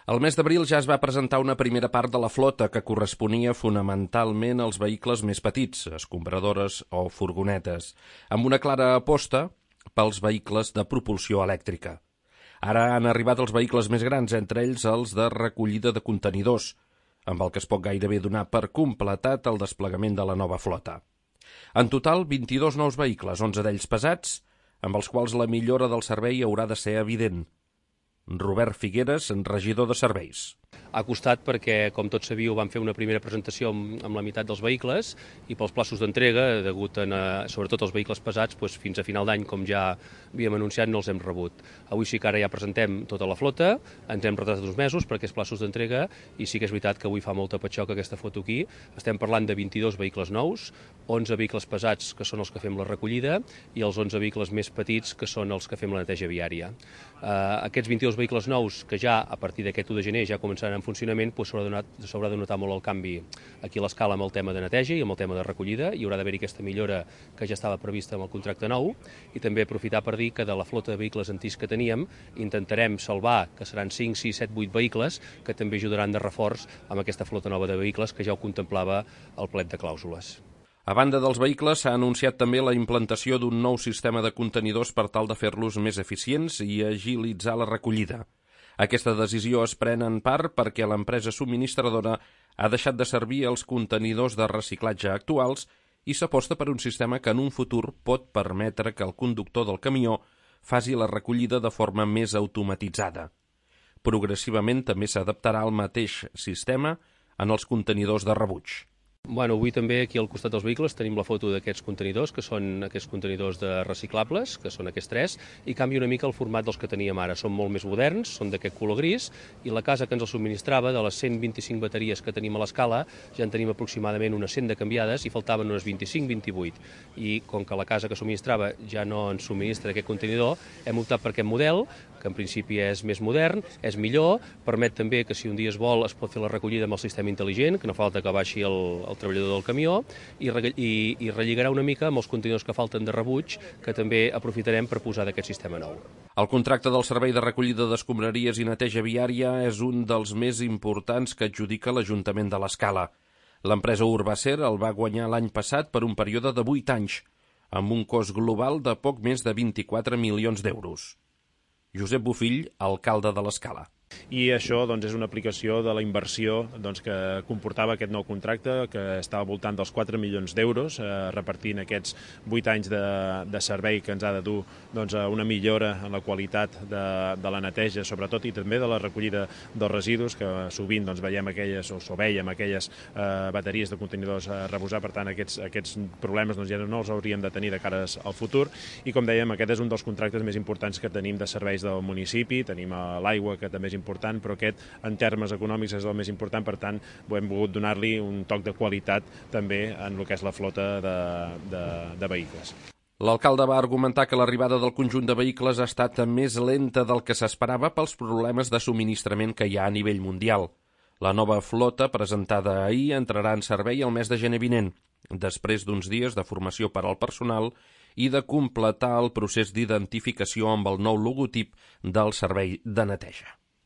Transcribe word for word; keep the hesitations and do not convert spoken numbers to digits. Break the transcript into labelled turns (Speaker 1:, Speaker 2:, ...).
Speaker 1: El mes d'abril ja es va presentar una primera part de la flota que corresponia fonamentalment als vehicles més petits, escombradores o furgonetes, amb una clara aposta pels vehicles de propulsió elèctrica. Ara han arribat els vehicles més grans, entre ells els de recollida de contenidors, amb el que es pot gairebé donar per completat el desplegament de la nova flota. En total, vint-i-dos nous vehicles, onze d'ells pesats, amb els quals la millora del servei haurà de ser evident. Robert Figueres, regidor de serveis.
Speaker 2: Ha costat perquè, com tots sabíeu, vam fer una primera presentació amb, amb la meitat dels vehicles i pels plaços d'entrega, degut a, sobretot als vehicles pesats, doncs fins a final d'any, com ja havíem anunciat, no els hem rebut. Avui sí que ara ja presentem tota la flota, ens hem retrasat uns mesos per aquests plaços d'entrega i sí que és veritat que avui fa molta patxoca aquesta foto aquí. Estem parlant de vint-i-dos vehicles nous, onze vehicles pesats, que són els que fem la recollida, i els onze vehicles més petits, que són els que fem la neteja viària. Uh, aquests vint-i-dos vehicles nous, que ja a partir d'aquest u de gener ja començaran en funcionament, doncs s'haurà de notar molt el canvi aquí a l'escala amb el tema de neteja i amb el tema de recollida. Hi haurà d'haver-hi aquesta millora que ja estava prevista amb el contracte nou i també aprofitar per dir que de la flota de vehicles antics que teníem intentarem salvar, que seran cinc, sis, set, vuit vehicles que també ajudaran de reforç amb aquesta flota nova de vehicles que ja ho contemplava el plet de clàusules.
Speaker 1: A banda dels vehicles, s'ha anunciat també la implantació d'un nou sistema de contenidors per tal de fer-los més eficients i agilitzar la recollida. Aquesta decisió es pren en part perquè l'empresa subministradora ha deixat de servir els contenidors de reciclatge actuals i s'aposta per un sistema que en un futur pot permetre que el conductor del camió faci la recollida de forma més automatitzada. Progressivament també s'adaptarà el mateix sistema en els contenidors de rebuig.
Speaker 2: Bueno, avui també aquí al costat dels vehicles tenim la foto d'aquests contenidors, que són aquests contenidors de reciclables, que són aquests tres, i canvia una mica el format dels que teníem ara. Són molt més moderns, són d'aquest color gris, i la casa que ens els subministrava, de les cent vint-i-cinc bateries que tenim a l'escala, ja en tenim aproximadament unes cent de canviades i faltaven unes vint-i-cinc vint-i-vuit. I com que la casa que subministrava ja no ens subministra aquest contenidor, hem optat per aquest model, que en principi és més modern, és millor, permet també que si un dia es vol es pot fer la recollida amb el sistema intel·ligent, que no falta que baixi el, el treballador del camió, i, i, i relligarà una mica amb els contenidors que falten de rebuig, que també aprofitarem per posar d'aquest sistema nou.
Speaker 1: El contracte del servei de recollida d'escombraries i neteja viària és un dels més importants que adjudica l'Ajuntament de l'Escala. L'empresa Urbacer el va guanyar l'any passat per un període de vuit anys, amb un cost global de poc més de vint-i-quatre milions d'euros. Josep Bofill, alcalde de l'Escala.
Speaker 3: I això doncs, és una aplicació de la inversió doncs, que comportava aquest nou contracte, que estava al voltant dels quatre milions d'euros, eh, repartint aquests vuit anys de, de servei que ens ha de dur doncs, a una millora en la qualitat de, de la neteja, sobretot, i també de la recollida dels residus, que sovint doncs, veiem aquelles, o veiem aquelles eh, bateries de contenidors a reposar. Per tant, aquests, aquests problemes doncs, ja no els hauríem de tenir de cara al futur. I com dèiem, aquest és un dels contractes més importants que tenim de serveis del municipi. Tenim l'aigua, que també és important, però aquest en termes econòmics és el més important, per tant hem volgut donar-li un toc de qualitat també en el que és la flota de, de, de vehicles.
Speaker 1: L'alcalde va argumentar que l'arribada del conjunt de vehicles ha estat més lenta del que s'esperava pels problemes de subministrament que hi ha a nivell mundial. La nova flota, presentada ahir, entrarà en servei el mes de gener vinent, després d'uns dies de formació per al personal i de completar el procés d'identificació amb el nou logotip del servei de neteja.